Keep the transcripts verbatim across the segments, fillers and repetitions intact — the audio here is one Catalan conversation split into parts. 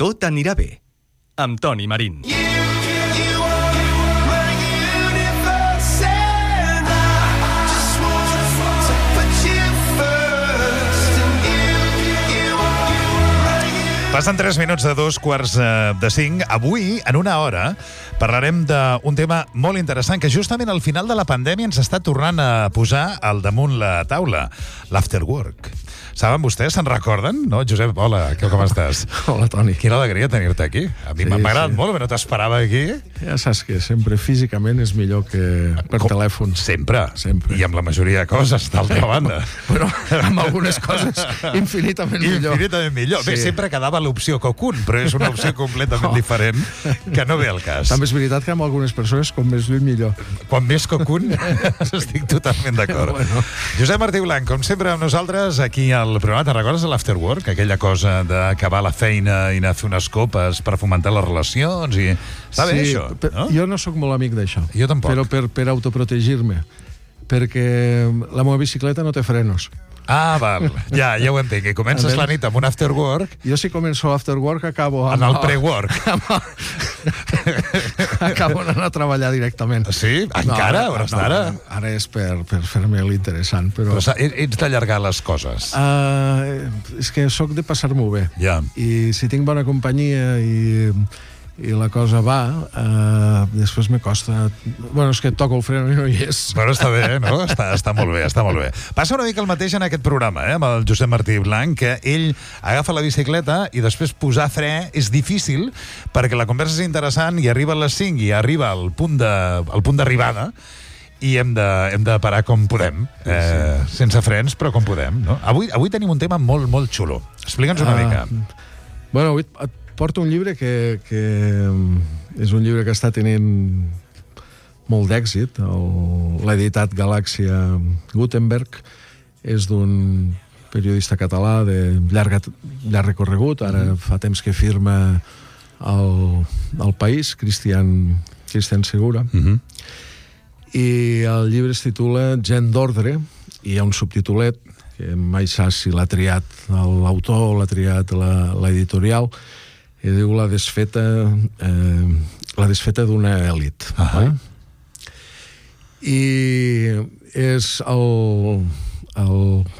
Tot anirà bé, amb Toni Marín. Passen tres minuts de dos quarts de cinc. Avui, en una hora, parlarem d'un tema molt interessant que justament al final de la pandèmia ens està tornant a posar al damunt la taula, l'afterwork. Saben vostès, se'n recorden? No, Josep, hola, com estàs? Hola, Toni. Quina alegria tenir-te aquí. A mi Sí, m'ha agradat sí. molt, però no t'esperava aquí. Ja saps que sempre físicament és millor que per Com- telèfon. Sempre. Sempre. I amb la majoria de coses, d'altra banda. Però amb algunes coses infinitament millor. Infinitament millor. Bé, Sí. sempre quedava l'opció Cocoon, però és una opció completament diferent que no ve al cas. També és veritat que amb algunes persones, com més lluny, millor. Quan més Cocoon, estic totalment d'acord. Bueno. Josep Martí Blanc, com sempre amb nosaltres, aquí al programa, te'n recordes de l'afterwork? Aquella cosa d'acabar la feina i anar a fer unes copes per fomentar les relacions i... Està bé, això, per- no? Jo no sóc molt amic d'això. Jo tampoc. Però per, per autoprotegir-me. Perquè la meva bicicleta no té frenos. Ah, val. Ja, ja ho entenc. I comences A la veure. nit amb un afterwork Jo si començo after work acabo amb en el pre-work. acabo anant a treballar directament. Sí? Encara? No, A hores no, d'ara? Ara és per, per fer-me l'interessant, però... Però s'ha- ets d'allargar les coses. Uh, és que sóc de passar-m'ho bé. Ja. I si tinc bona companyia i, i la cosa va, uh, després me costa... Bueno, és que toco el freno i no hi és. Però està bé, no? Està, està molt bé, està molt bé. Passa una mica el mateix en aquest programa, eh, amb el Josep Martí Blanc, que ell agafa la bicicleta i després posar fre és difícil perquè la conversa és interessant i arriba a les cinc i arriba al punt de, al punt d'arribada i hem de, hem de parar com podem, eh, sense frens, però com podem, no? Avui, avui tenim un tema molt, molt xulo. Explica'ns una Ah, mica. Bueno, avui et porto un llibre que, que és un llibre que està tenint molt d'èxit. El- L'ha editat Galàxia Gutenberg. És d'un periodista català de llarg, llarg recorregut. Ara fa temps que firma el, el País, Cristian, Cristian Segura. Mhm. I el llibre es titula Gent d'ordre, i hi ha un subtitulet que mai saps si l'ha triat l'autor o l'ha triat la- l'editorial, i diu la desfeta eh, la desfeta d'una èlit. Ahà. eh? I és el, el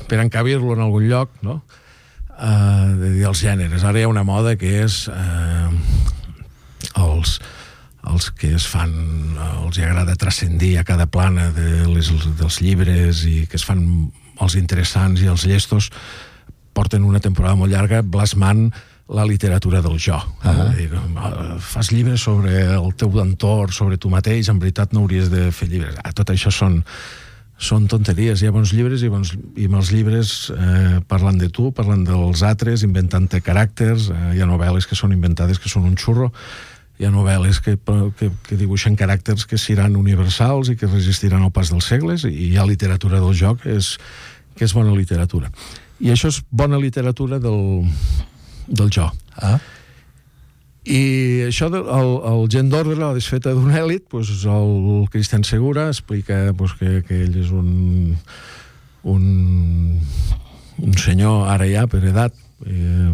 per encabir-lo en algun lloc, no? Uh, de dir els gèneres. Ara hi ha una moda que és uh, els els que es fan, els hi agrada transcendir a cada plana de les, dels llibres i que es fan els interessants i els llestos, porten una temporada molt llarga blasmant la literatura del jo. Ah. Eh? Fas llibres sobre el teu entorn, sobre tu mateix, en veritat no hauries de fer llibres. Ah, tot això són, són tonteries. Hi ha bons llibres i, bons, i mals llibres eh, parlant de tu, parlant dels altres, inventant-te caràcters. Eh, hi ha novel·les que són inventades, que són un xurro. Hi ha novel·les que, que, que dibuixen caràcters que seran universals i que resistiran al pas dels segles, i hi ha literatura del joc que és, que és bona literatura. I això és bona literatura del, del jo. Ah. I això, del, el, el gent d'ordre, la desfeta d'un èlit, pues, el Cristian Segura explica pues, que, que ell és un, un, un senyor, ara ja, per edat, eh,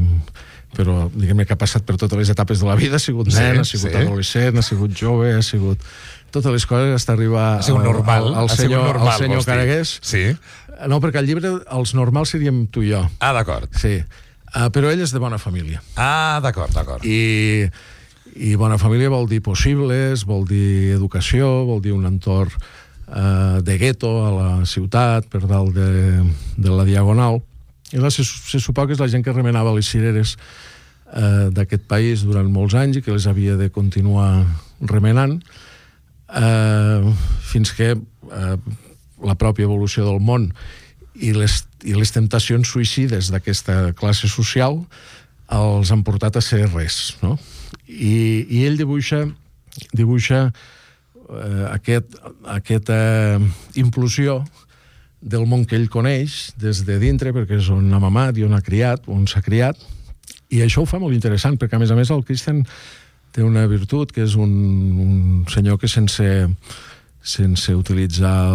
però diguem-ne que ha passat per totes les etapes de la vida, ha sigut Sí, nen, ha sigut sí. adolescent, ha sigut jove, ha sigut totes les coses, hasta arribar Ha sigut normal. al, al ha sigut senyor, normal, al senyor vols dir. Caragués. Sí. No, perquè al llibre els normals seríem tu i jo. Ah, d'acord. Sí. Uh, però ell és de bona família. Ah, d'acord, d'acord. I, i bona família vol dir possibles, vol dir educació, vol dir un entorn uh, de gueto a la ciutat, per dalt de, de la Diagonal. I la, se, se suposa que és la gent que remenava les cireres uh, d'aquest país durant molts anys i que les havia de continuar remenant uh, fins que uh, la pròpia evolució del món i les, i les temptacions suïcides d'aquesta classe social els han portat a ser res, no? I, i ell dibuixa dibuixa eh, aquest, aquesta implosió del món que ell coneix des de dintre, perquè és on ha mamat i on ha criat, on s'ha criat, i això ho fa molt interessant, perquè a més a més el Cristian té una virtut, que és un, un senyor que sense sense utilitzar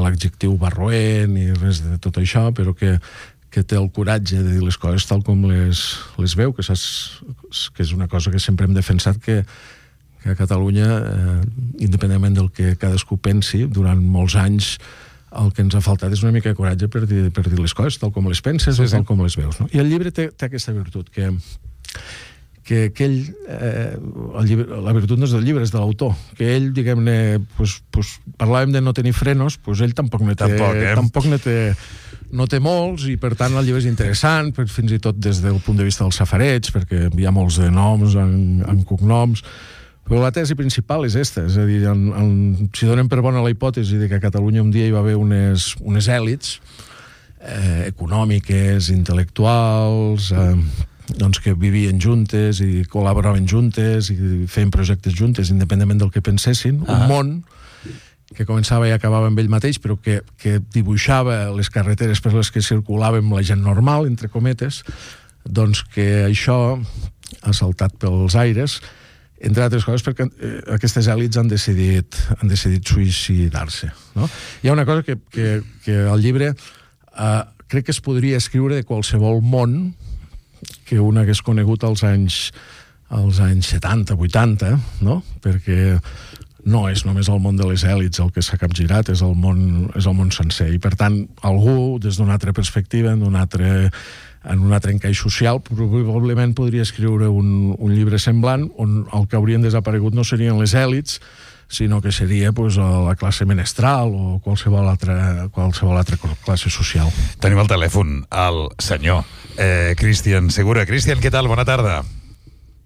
l'adjectiu barroent i res de tot això, però que, que té el coratge de dir les coses tal com les, les veu, que, saps, que és una cosa que sempre hem defensat, que, que a Catalunya, eh, independentment del que cadascú pensi, durant molts anys el que ens ha faltat és una mica de coratge per dir, per dir les coses tal com les penses sí, o tal sí. com les veus. No? I el llibre té, té aquesta virtut, que, que, que ell, eh, el llibre, la virtut no és del llibre, és de l'autor, que ell, diguem-ne, pues, pues, parlàvem de no tenir frenos, pues ell tampoc ne té, tampoc, eh? tampoc ne té, no té molts, i per tant el llibre és interessant, fins i tot des del punt de vista dels safareig, perquè hi ha molts de noms en, en cognoms, però la tesi principal és esta, és a dir, en, en, si donem per bona la hipòtesi de que a Catalunya un dia hi va haver unes, unes èlits eh, econòmiques, intel·lectuals, eh, doncs que vivien juntes i col·laboraven juntes i feien projectes juntes, independentment del que pensessin, ah. un món que començava i acabava amb ell mateix, però que, que dibuixava les carreteres per les que circulàvem la gent normal, entre cometes, doncs que això ha saltat pels aires, entre altres coses perquè eh, aquestes èlits han decidit, han decidit suïcidar-se. No? Hi ha una cosa que, que, que al llibre eh, crec que es podria escriure de qualsevol món que un hagués conegut als anys, als anys setanta, vuitanta, no? Perquè no és només el món de les èlits el que s'ha capgirat, és el món, és el món sencer. I, per tant, algú, des d'una altra perspectiva, en un altre, en un altre encaix social, probablement podria escriure un, un llibre semblant on el que haurien desaparegut no serien les èlits, sinó que seria pues, la classe menestral o qualsevol altra, qualsevol altra classe social. Tenim al telèfon el senyor eh, Cristian Segura. Cristian, què tal? Bona tarda.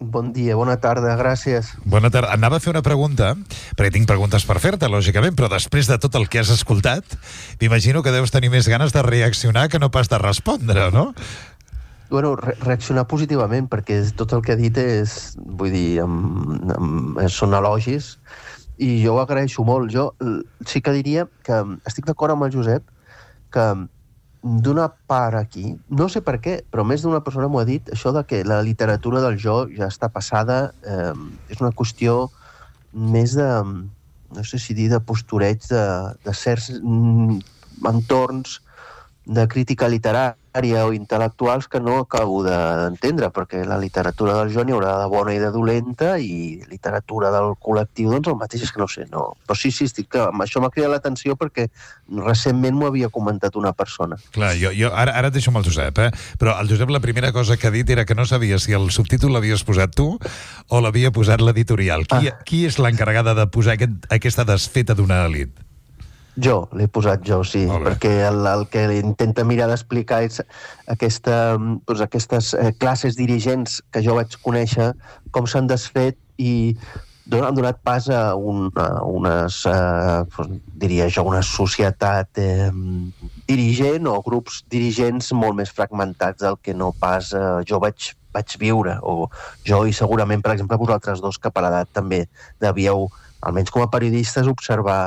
Bon dia, bona tarda, gràcies. Bona tarda. Anava a fer una pregunta, perquè tinc preguntes per fer-te, lògicament, però després de tot el que has escoltat, m'imagino que deus tenir més ganes de reaccionar que no pas de respondre, no? Bueno, re reaccionar positivament, perquè tot el que ha dit és, vull dir, amb, amb, són elogis, i jo ho agraeixo molt. Jo sí que diria que estic d'acord amb el Josep, que d'una part aquí, no sé per què, però més d'una persona m'ho ha dit, això de que la literatura del jo ja està passada, eh, és una qüestió més de, no sé si dir, de postureig de, de certs mm, entorns de crítica literària o intel·lectuals que no acabo d'entendre, perquè la literatura del jo n'hi haurà de bona i de dolenta, i literatura del col·lectiu, doncs el mateix, és que no sé, no. Però sí, sí, estic, això m'ha cridat l'atenció perquè recentment m'ho havia comentat una persona. Clar, jo, jo ara, ara et deixo amb el Josep, eh? Però el Josep la primera cosa que ha dit era que no sabia si el subtítol l'havies posat tu o l'havia posat l'editorial. Qui, ah. qui és l'encarregada de posar aquest, aquesta desfeta d'una elit? Jo, l'he posat jo, sí, perquè el, el que intenta mirar d'explicar és aquesta, doncs aquestes eh, classes dirigents que jo vaig conèixer, com s'han desfet i han donat pas a, un, a unes, eh, doncs, diria jo, una societat eh, dirigent o grups dirigents molt més fragmentats del que no pas eh, jo vaig, vaig viure, o jo i segurament, per exemple, vosaltres dos, que per edat també devíeu, almenys com a periodistes, observar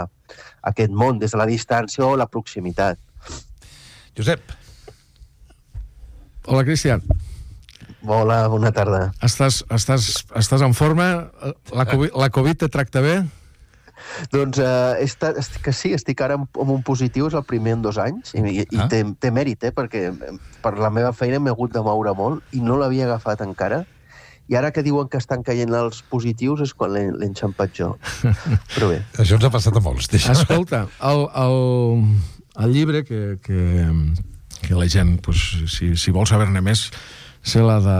aquest món des de la distància o la proximitat. Josep. Hola, Cristian. Hola, bona tarda. Estàs, estàs, estàs en forma? La Covid, la Covid te tracta bé? Doncs eh, estat, estic, que sí, estic ara en, en un positiu, és el primer en dos anys, i, i ah. té, té mèrit, eh, perquè per la meva feina m'he hagut de moure molt i no l'havia agafat encara. I ara que diuen que estan caient els positius és quan l'he enxampat jo. Però bé. Això ens ha passat a molts. Deixa. Escolta, el, el, el llibre que, que, que la gent, pues, si, si vol saber-ne més, se l'ha de,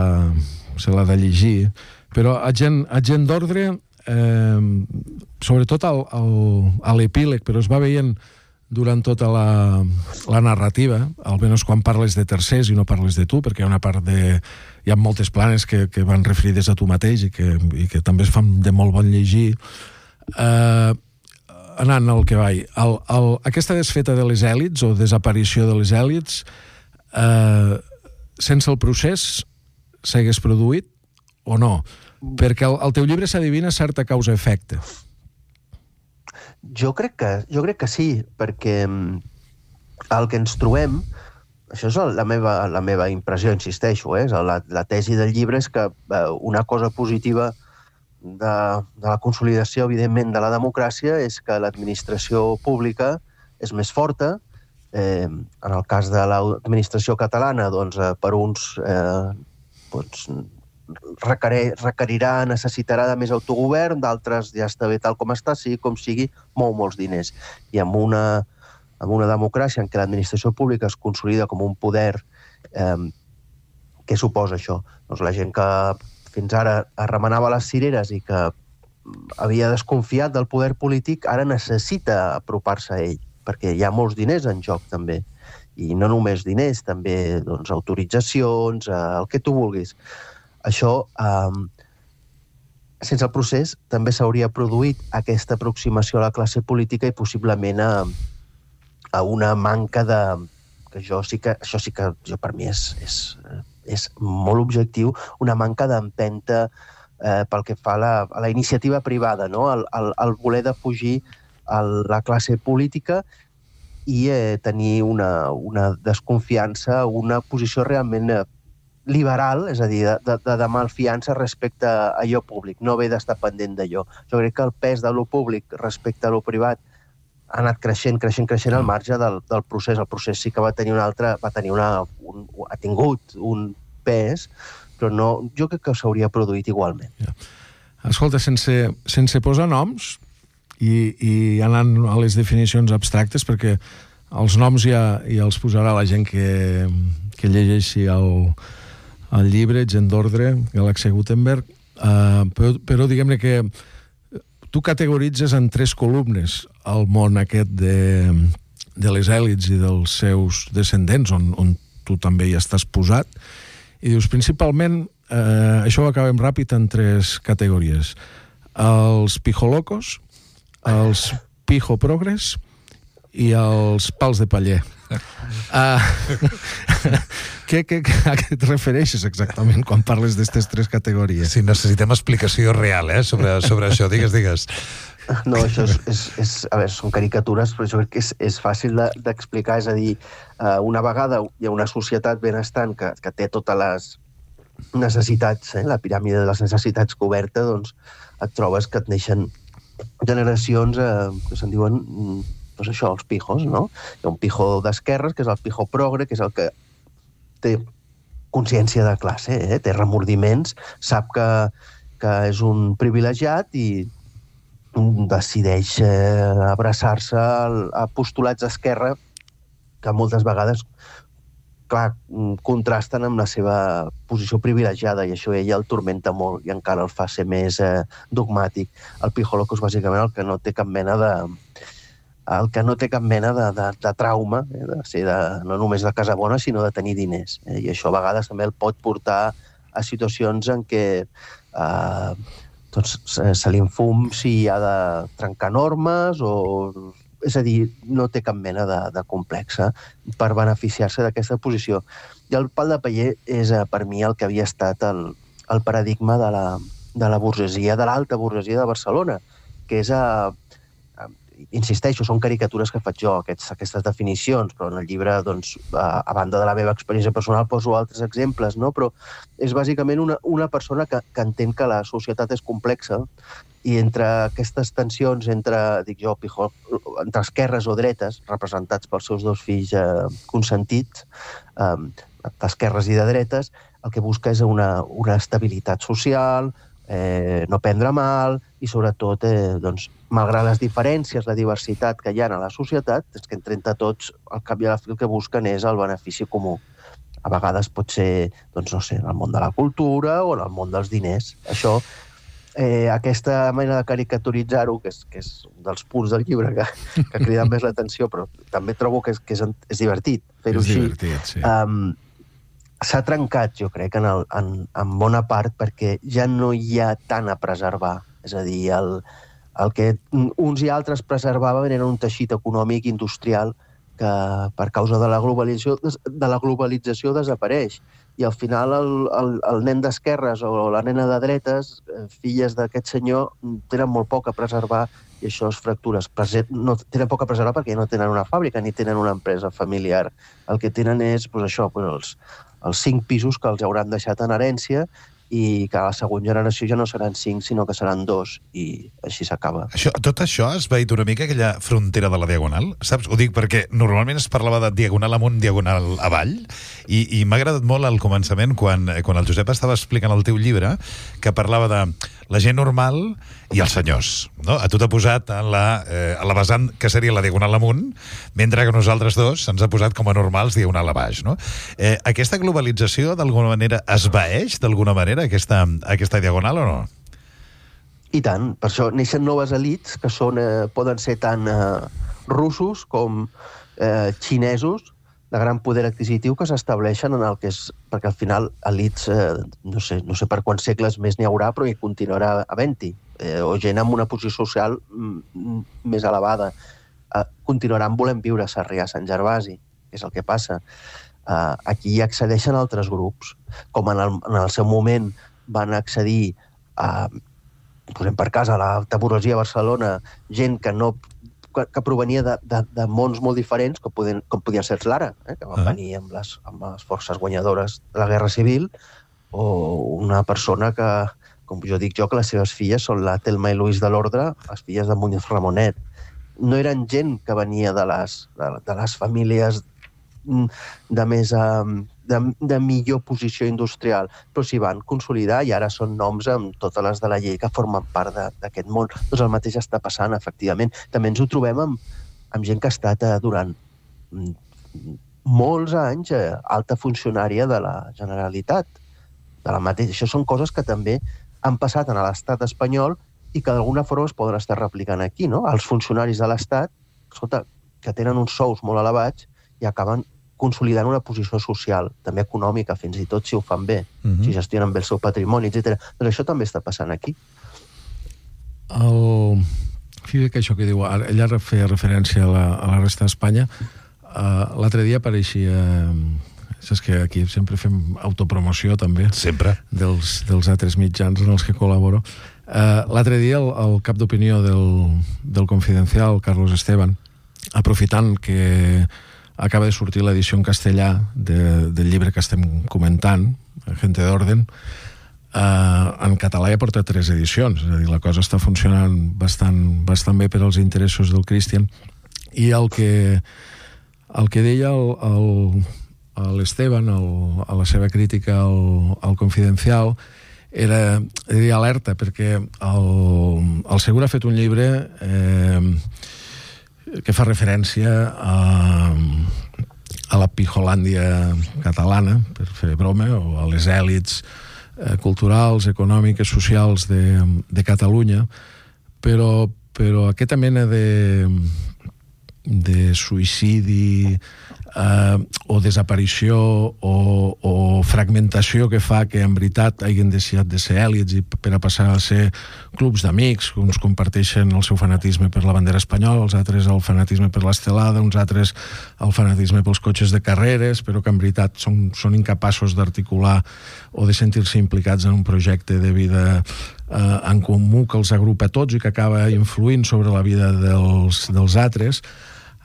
se l'ha de llegir. Però a gent, a gent d'ordre, eh, sobretot al, al, a l'epíleg, però es va veient durant tota la, la narrativa, almenys quan parles de tercers i no parles de tu, perquè hi ha una part de... Hi ha moltes planes que, que van referides a tu mateix i que, i que també es fan de molt bon llegir. Eh, anant al que vaig, el, el, aquesta desfeta de les èlits o desaparició de les èlits, eh, sense el procés s'hagués produït o no? Perquè el, el teu llibre s'adivina certa causa-efecte. Jo crec que, jo crec que sí, perquè el que ens trobem, això és la meva, la meva impressió, insisteixo, eh? la, la tesi del llibre és que eh, una cosa positiva de, de la consolidació, evidentment, de la democràcia és que l'administració pública és més forta, Eh, en el cas de l'administració catalana, doncs, eh, per uns eh, doncs, requerir, requerirà, necessitarà de més autogovern, d'altres ja està bé tal com està, sigui com sigui, mou molts diners. I amb una, amb una democràcia en què l'administració pública es consolida com un poder, eh, què suposa això? Doncs la gent que fins ara es remenava les cireres i que havia desconfiat del poder polític, ara necessita apropar-se a ell, perquè hi ha molts diners en joc, també. I no només diners, també doncs, autoritzacions, eh, el que tu vulguis. Això, eh, sense el procés, també s'hauria produït aquesta aproximació a la classe política i possiblement a, a una manca de... que jo sí que, això sí que jo, per mi és, és, és molt objectiu, una manca d'empenta eh, pel que fa a la, a la iniciativa privada, no? el, el, el voler defugir el, la classe política i eh, tenir una, una desconfiança, una posició realment eh, liberal, és a dir, de, de, de malfiança respecte a allò públic, no haver d'estar pendent d'allò. Jo crec que el pes de lo públic respecte a lo privat ha anat creixent, creixent, creixent al marge del, del procés. El procés sí que va tenir un altre, va tenir una, un, ha tingut un pes, però no, jo crec que s'hauria produït igualment. Ja. Escolta, sense, sense posar noms i, i anant a les definicions abstractes, perquè els noms ja, ja els posarà la gent que, que llegeixi el, el llibre, Gent d'Ordre, Galàxia Gutenberg, uh, però, però diguem-ne que tu categoritzes en tres columnes el món aquest de, de les èlits i dels seus descendents, on, on tu també hi estàs posat, i dius, principalment, eh, això ho acabem ràpid en tres categories. Els pijolocos, els pijoprogres i els pals de paller. Uh, què, què, a què et refereixes exactament quan parles d'aquestes tres categories? Sí, necessitem explicació real, eh, sobre, sobre això. Digues, digues. No, això és, és, és, a veure, són caricatures, però jo crec que és, és fàcil de, d'explicar. És a dir, una vegada hi ha una societat benestant que, que té totes les necessitats, eh, la piràmide de les necessitats coberta, doncs et trobes que et neixen generacions eh, que se'n diuen, doncs això, els pijos, no? Hi ha un pijo d'esquerres, que és el pijo progre, que és el que té consciència de classe, eh? Té remordiments, sap que, que és un privilegiat i decideix eh, abraçar-se a postulats d'esquerra que moltes vegades, clar, contrasten amb la seva posició privilegiada i això ella el turmenta molt i encara el fa ser més eh, dogmàtic. El pijoloco és bàsicament el que no té cap mena de el que no té cap mena de, de, de trauma, eh, de ser de, no només de casa bona, sinó de tenir diners. Eh, I això a vegades també el pot portar a situacions en què eh, doncs, se li enfum si ha de trencar normes o... És a dir, no té cap mena de, de complexa per beneficiar-se d'aquesta posició. I el pal de paller és, per mi, el que havia estat el, el paradigma de la, de la burgesia, de l'alta burgesia de Barcelona, que és, a, a, insisteixo, són caricatures que faig jo, aquests, aquestes definicions, però en el llibre, doncs, a, a banda de la meva experiència personal, poso altres exemples, no? Però és bàsicament una, una persona que, que entén que la societat és complexa i entre aquestes tensions entre, dic jo, pijo, entre esquerres o dretes, representats pels seus dos fills eh, consentits, eh, d'esquerres i de dretes, el que busca és una, una estabilitat social, eh, no prendre mal i, sobretot, eh, doncs, malgrat les diferències, la diversitat que hi ha a la societat, és que entre tots, al cap i a la fi, el que busquen és el benefici comú. A vegades pot ser, doncs, no sé, en el món de la cultura o en el món dels diners. Això... Eh, aquesta manera de caricaturitzar-ho, que és, que és un dels punts del llibre que, que crida més l'atenció, però també trobo que és, que és, és divertit fer-ho és així. Divertit, sí. Um, s'ha trencat, jo crec, en, el, en, en bona part, perquè ja no hi ha tant a preservar. És a dir, el, el que uns i altres preservaven era un teixit econòmic industrial que per causa de la globalització, de la globalització desapareix. I al final el, el, el nen d'esquerres o la nena de dretes, eh, filles d'aquest senyor, tenen molt poc a preservar i això es fractura. No, tenen poc a preservar perquè no tenen una fàbrica ni tenen una empresa familiar. El que tenen és, pues, això, pues, els, els cinc pisos que els hauran deixat en herència i que a la següent generació ja no seran cinc, sinó que seran dos, i així s'acaba. Això, tot això has veït una mica aquella frontera de la Diagonal, saps? Ho dic perquè normalment es parlava de Diagonal amunt, Diagonal avall, i, i m'ha agradat molt al començament, quan, quan el Josep estava explicant el teu llibre, que parlava de la gent normal i els senyors, no? A tu t'ha posat a la, eh, a la vessant que seria la Diagonal amunt, mentre que nosaltres dos ens ha posat com a normals Diagonal a baix, no? Eh, aquesta globalització d'alguna manera esvaeix d'alguna manera aquesta, aquesta Diagonal o no? I tant, per això neixen noves elites que són, eh, poden ser tant eh, russos com eh, xinesos, de gran poder adquisitiu, que s'estableixen en el que és... Perquè al final, elites, eh, no sé, no sé per quants segles més n'hi haurà, però hi continuarà havent-hi. Eh, o gent amb una posició social mm, més elevada. Eh, continuaran volent viure a Sarrià, a Sant Gervasi, que és el que passa. Eh, aquí hi accedeixen altres grups, com en el, en el seu moment van accedir a, posem per cas, a l'alta burgesia a Barcelona, gent que no que provenia de, de, de mons molt diferents, com, podien, com podien ser els Lara, eh, que van ah. venir amb les, amb les forces guanyadores de la Guerra Civil, o una persona que, com jo dic jo, que les seves filles són la Telma i Luis de l'Ordre, les filles de Muñoz Ramonet. No eren gent que venia de les, de, de les famílies de més de, de millor posició industrial, però s'hi van consolidar i ara són noms amb totes les de la llei que formen part d'aquest món. Doncs el mateix està passant, efectivament. També ens ho trobem amb, amb gent que ha estat eh, durant molts anys eh, alta funcionària de la Generalitat. De la mateixa. Això són coses que també han passat en l'estat espanyol i que d'alguna forma es poden estar replicant aquí, no? Els funcionaris de l'estat, escolta, que tenen uns sous molt elevats i acaben consolidant una posició social, també econòmica, fins i tot si ho fan bé, uh-huh. si gestionen bé el seu patrimoni, etcètera. Doncs això també està passant aquí. El... Fíjate que això que diu, ella feia referència a la, a la resta d'Espanya. Uh, l'altre dia apareixia... Saps que aquí sempre fem autopromoció, també. Sempre. Dels, dels altres mitjans en els que col·laboro. Uh, l'altre dia el, el cap d'opinió del, del Confidencial, Carlos Esteban, aprofitant que acaba de sortir l'edició en castellà de, del llibre que estem comentant, Gente de Orden, eh, en català ja porta tres edicions, és a dir, la cosa està funcionant bastant, bastant bé per als interessos del Christian, i el que, el que deia l'Esteban a la seva crítica al, al Confidencial era, era alerta, perquè el, el Segur ha fet un llibre eh, que fa referència a, a la Pijolàndia catalana, per fer broma, o a les èlits eh, culturals, econòmiques, socials de, de Catalunya, però, però aquesta mena de, de suïcidi eh, o desaparició o, o fragmentació que fa que en veritat hagin deixat de ser èlits i per a passar a ser clubs d'amics, uns comparteixen el seu fanatisme per la bandera espanyola, els altres el fanatisme per l'estelada, uns altres el fanatisme pels cotxes de carreres, però que en veritat són, són incapaços d'articular o de sentir-se implicats en un projecte de vida eh, en comú que els agrupa tots i que acaba influint sobre la vida dels, dels altres.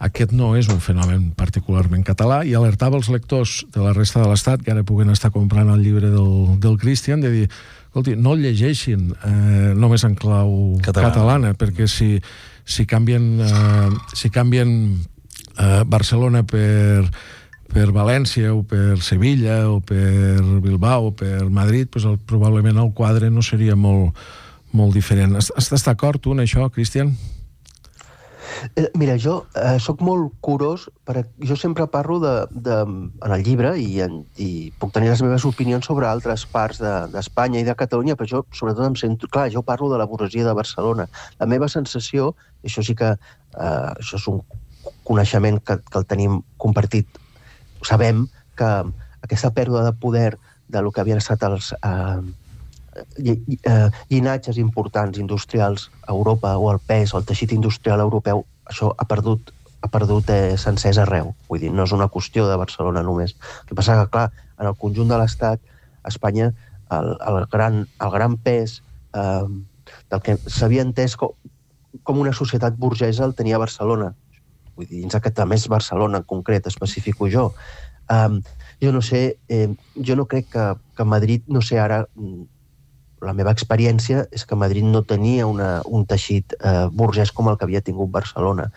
Aquest no és un fenomen particularment català i alertava els lectors de la resta de l'Estat que ara puguen estar comprant el llibre del, del Christian de dir, escolti, no el llegeixin eh, només en clau catalana, catalana perquè si, si canvien, eh, si canvien eh, Barcelona per, per València o per Sevilla o per Bilbao o per Madrid, pues el, probablement el quadre no seria molt, molt diferent. Estàs d'acord tu en això, Christian? Mira, jo eh, sóc molt curós, per, jo sempre parlo de, de, en el llibre i, en, i puc tenir les meves opinions sobre altres parts d'Espanya de, i de Catalunya, però jo sobretot em sento... Clar, jo parlo de la burgesia de Barcelona. La meva sensació, això sí que eh, això és un coneixement que, que el tenim compartit, sabem que aquesta pèrdua de poder de lo que havien estat els... Eh, llinatges importants industrials a Europa o el pes o el teixit industrial europeu, això ha perdut, ha perdut eh, sencers arreu. Vull dir, no és una qüestió de Barcelona només. El que passa que, clar, en el conjunt de l'Estat, a Espanya, el, el, gran, el gran pes eh, del que s'havia entès com, com una societat burgesa el tenia Barcelona. Vull dir, dins aquest, a més Barcelona en concret, especifico jo. Eh, jo no sé, eh, jo no crec que, que Madrid, no sé ara, la meva experiència és que Madrid no tenia una, un teixit eh, burgès com el que havia tingut Barcelona.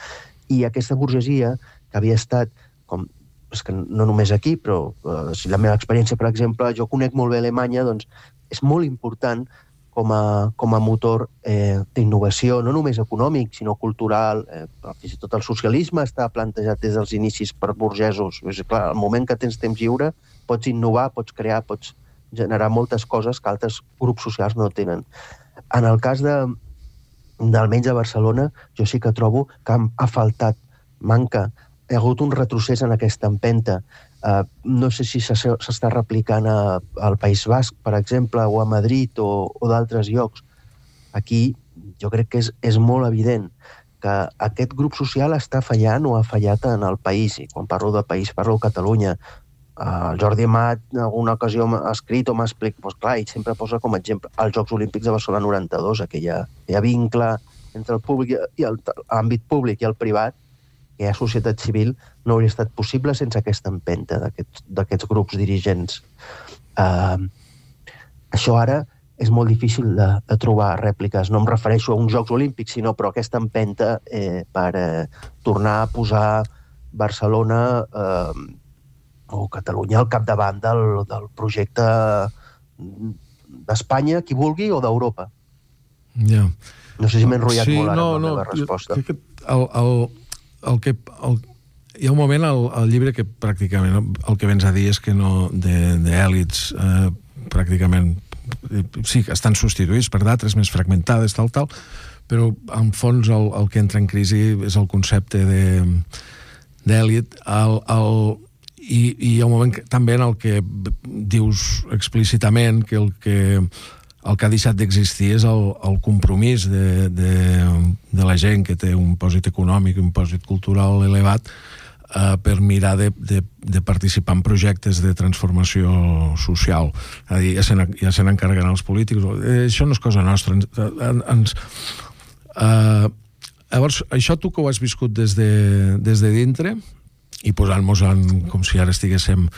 I aquesta burgesia, que havia estat, com, és que no només aquí, però eh, si la meva experiència, per exemple, jo conec molt bé Alemanya, doncs és molt important com a, com a motor eh, d'innovació, no només econòmic, sinó cultural. Eh, fins i tot el socialisme està plantejat des dels inicis per burgesos. És clar, al moment que tens temps lliure, pots innovar, pots crear, pots generar moltes coses que altres grups socials no tenen. En el cas de, d'almenys a Barcelona, jo sí que trobo que ha faltat, manca, hi ha hagut un retrocés en aquesta empenta. Uh, no sé si s'està replicant a, al País Basc, per exemple, o a Madrid o, o d'altres llocs. Aquí jo crec que és, és molt evident que aquest grup social està fallant o ha fallat en el país. I quan parlo de país, parlo de Catalunya. Uh, el Jordi Amat en alguna ocasió m'ha escrit o m'ha explicat, doncs clar, i sempre posa com a exemple els Jocs Olímpics de Barcelona noranta-dos, aquella, aquella vincle entre el públic i l'àmbit públic i el privat, que hi ha societat civil, no hauria estat possible sense aquesta empenta d'aquests, d'aquests grups dirigents. Uh, això ara és molt difícil de, de trobar rèpliques. No em refereixo a uns Jocs Olímpics, sinó però aquesta empenta eh, per eh, tornar a posar Barcelona eh, o Catalunya al capdavant del, del projecte d'Espanya, qui vulgui, o d'Europa. Ja. No sé si m'he enrotllat sí, molt ara no, amb la no, meva resposta. Jo, el, el, el que, el, hi ha un moment al, al llibre que pràcticament el que vens a dir és que no d'èlits eh, pràcticament sí, estan substituïts per d'altres més fragmentades, tal, tal, però en fons el, el que entra en crisi és el concepte d'èlit, el, el, i, i hi ha un moment que, també en el que dius explícitament que el que el que ha deixat d'existir és el, el compromís de, de, de la gent que té un pòsit econòmic, un pòsit cultural elevat, eh, per mirar de, de, de participar en projectes de transformació social. És a dir, ja se, ja se n'encarreguen els polítics. Eh, això no és cosa nostra. Ens, ens, eh, llavors, això tu que ho has viscut des de, des de dintre i posant-nos en, com si ara estiguéssim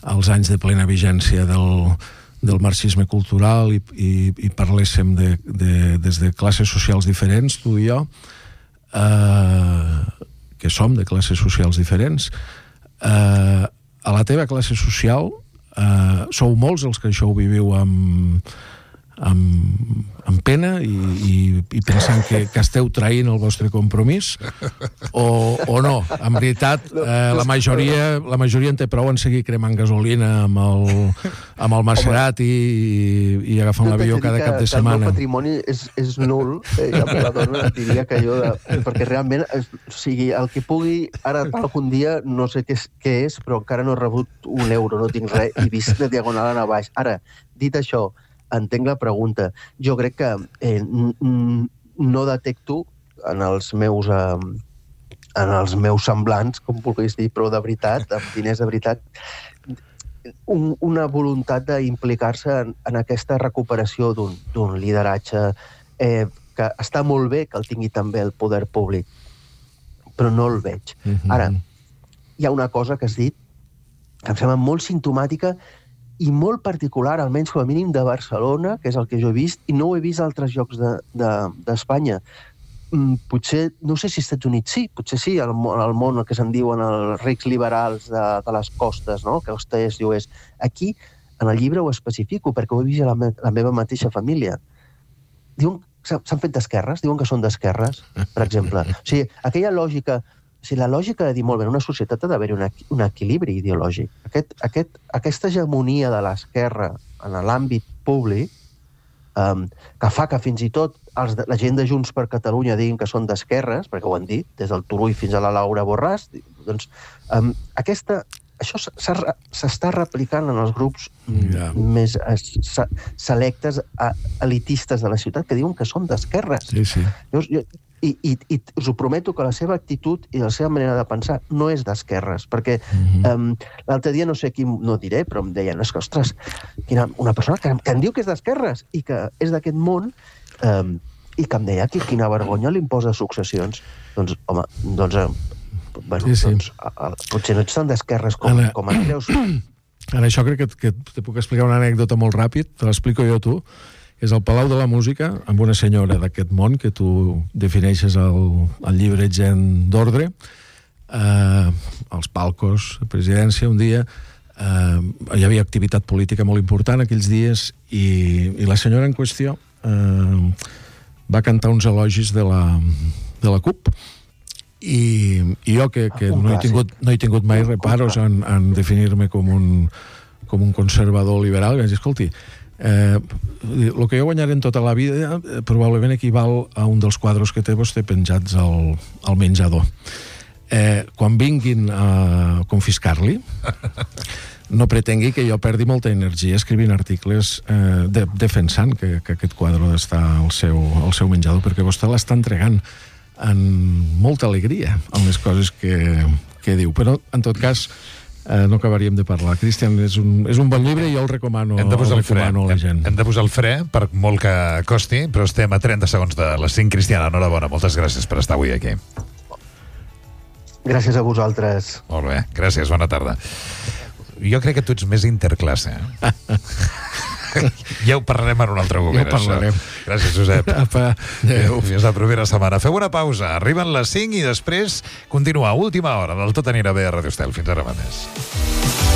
als anys de plena vigència del del marxisme cultural i, i, i parléssim de, de, des de classes socials diferents, tu i jo, eh, que som de classes socials diferents, eh, a la teva classe social eh, sou molts els que això ho viviu amb, amb, amb pena i, i, i pensant que, que esteu traint el vostre compromís o, o no. En veritat, eh, la majoria la majoria en té prou en seguir cremant gasolina amb el, amb el Maserati i, i agafant l'avió cada cap de setmana. El meu patrimoni és, és nul, eh, i amb la dona et diria que jo, de, perquè realment, o sigui, el que pugui, ara algun dia, no sé què és, què és, però encara no he rebut un euro, no tinc res, i vist de diagonal a baix. Ara, dit això, entenc la pregunta. Jo crec que eh, no detecto en els meus eh, en els meus semblants, com vulguis dir, però de veritat, amb diners de veritat, un, una voluntat d'implicar-se en, en aquesta recuperació d'un, d'un lideratge eh, que està molt bé que el tingui també el poder públic, però no el veig. Mm-hmm. Ara, hi ha una cosa que has dit que em sembla molt simptomàtica i molt particular, almenys com a mínim de Barcelona, que és el que jo he vist, i no ho he vist a altres llocs de, de, d'Espanya. Mm, potser, no sé si als Estats Units sí, potser sí, al, al món que se'n diuen els rics liberals de, de les costes, no? Que hosters i oest. Aquí, en el llibre ho especifico, perquè ho he vist a la, me, la meva mateixa família. Diuen, s'han fet d'esquerres, diuen que són d'esquerres, per exemple. O sigui, aquella lògica... O sigui, la lògica de dir, molt bé, en una societat ha d'haver-hi un, un equilibri ideològic. Aquest, aquest, aquesta hegemonia de l'esquerra en l'àmbit públic, um, que fa que fins i tot els, la gent de Junts per Catalunya diguin que són d'esquerres, perquè ho han dit, des del Turull fins a la Laura Borràs, doncs um, aquesta, això s'està replicant en els grups yeah. més uh, selectes, uh, elitistes de la ciutat, que diuen que són d'esquerres. Sí, sí. Llavors, jo, I, i, i us ho prometo que la seva actitud i la seva manera de pensar no és d'esquerres, perquè mm-hmm. um, l'altre dia no sé qui, no diré, però em deien, és que, ostres, quina, una persona que, que em diu que és d'esquerres i que és d'aquest món, um, i que em deia que quina vergonya l'impost de successions. Doncs, home, doncs, eh, bueno, sí, sí. doncs a, a, potser no ets tan d'esquerres com, com et creus, En això crec que, que te puc explicar una anècdota molt ràpid, te l'explico jo a tu. És el Palau de la Música, amb una senyora d'aquest món que tu defineixes al, al llibre Gent d'Ordre, eh, als palcos de presidència un dia. Eh, hi havia activitat política molt important aquells dies i, i la senyora en qüestió eh, va cantar uns elogis de la, de la CUP i, i jo que, que no, he tingut, no he tingut mai reparos en, en definir-me com un, com un conservador liberal, vaig dir, escolti, eh, el que jo guanyaré en tota la vida eh, probablement equival a un dels quadres que té vostè penjats al, al menjador. Eh, quan vinguin a confiscar-li, no pretengui que jo perdi molta energia escrivint articles eh, de, defensant que, que aquest quadre ha d'estar al seu, al seu menjador, perquè vostè l'està entregant amb molta alegria amb les coses que, que diu. Però, en tot cas, eh, no acabaríem de parlar. Cristian, és un, és un bon llibre i jo el recomano, hem de posar el fre, recomano a la gent. Hem, hem de posar el fre, per molt que costi, però estem a trenta segons de les cinc. Cristian, enhorabona, moltes gràcies per estar avui aquí. Gràcies a vosaltres. Molt bé, gràcies, bona tarda. Jo crec que tu ets més interclasse. Eh? Ja ho parlarem en un altre moment. Ja ho parlarem. Això. Gràcies, Josep. Apa, adéu. Fins la propera setmana. Feu una pausa. Arriben les cinc i després continuar. Última hora del Tot anirà bé a Radio Estel. Fins ara mateix.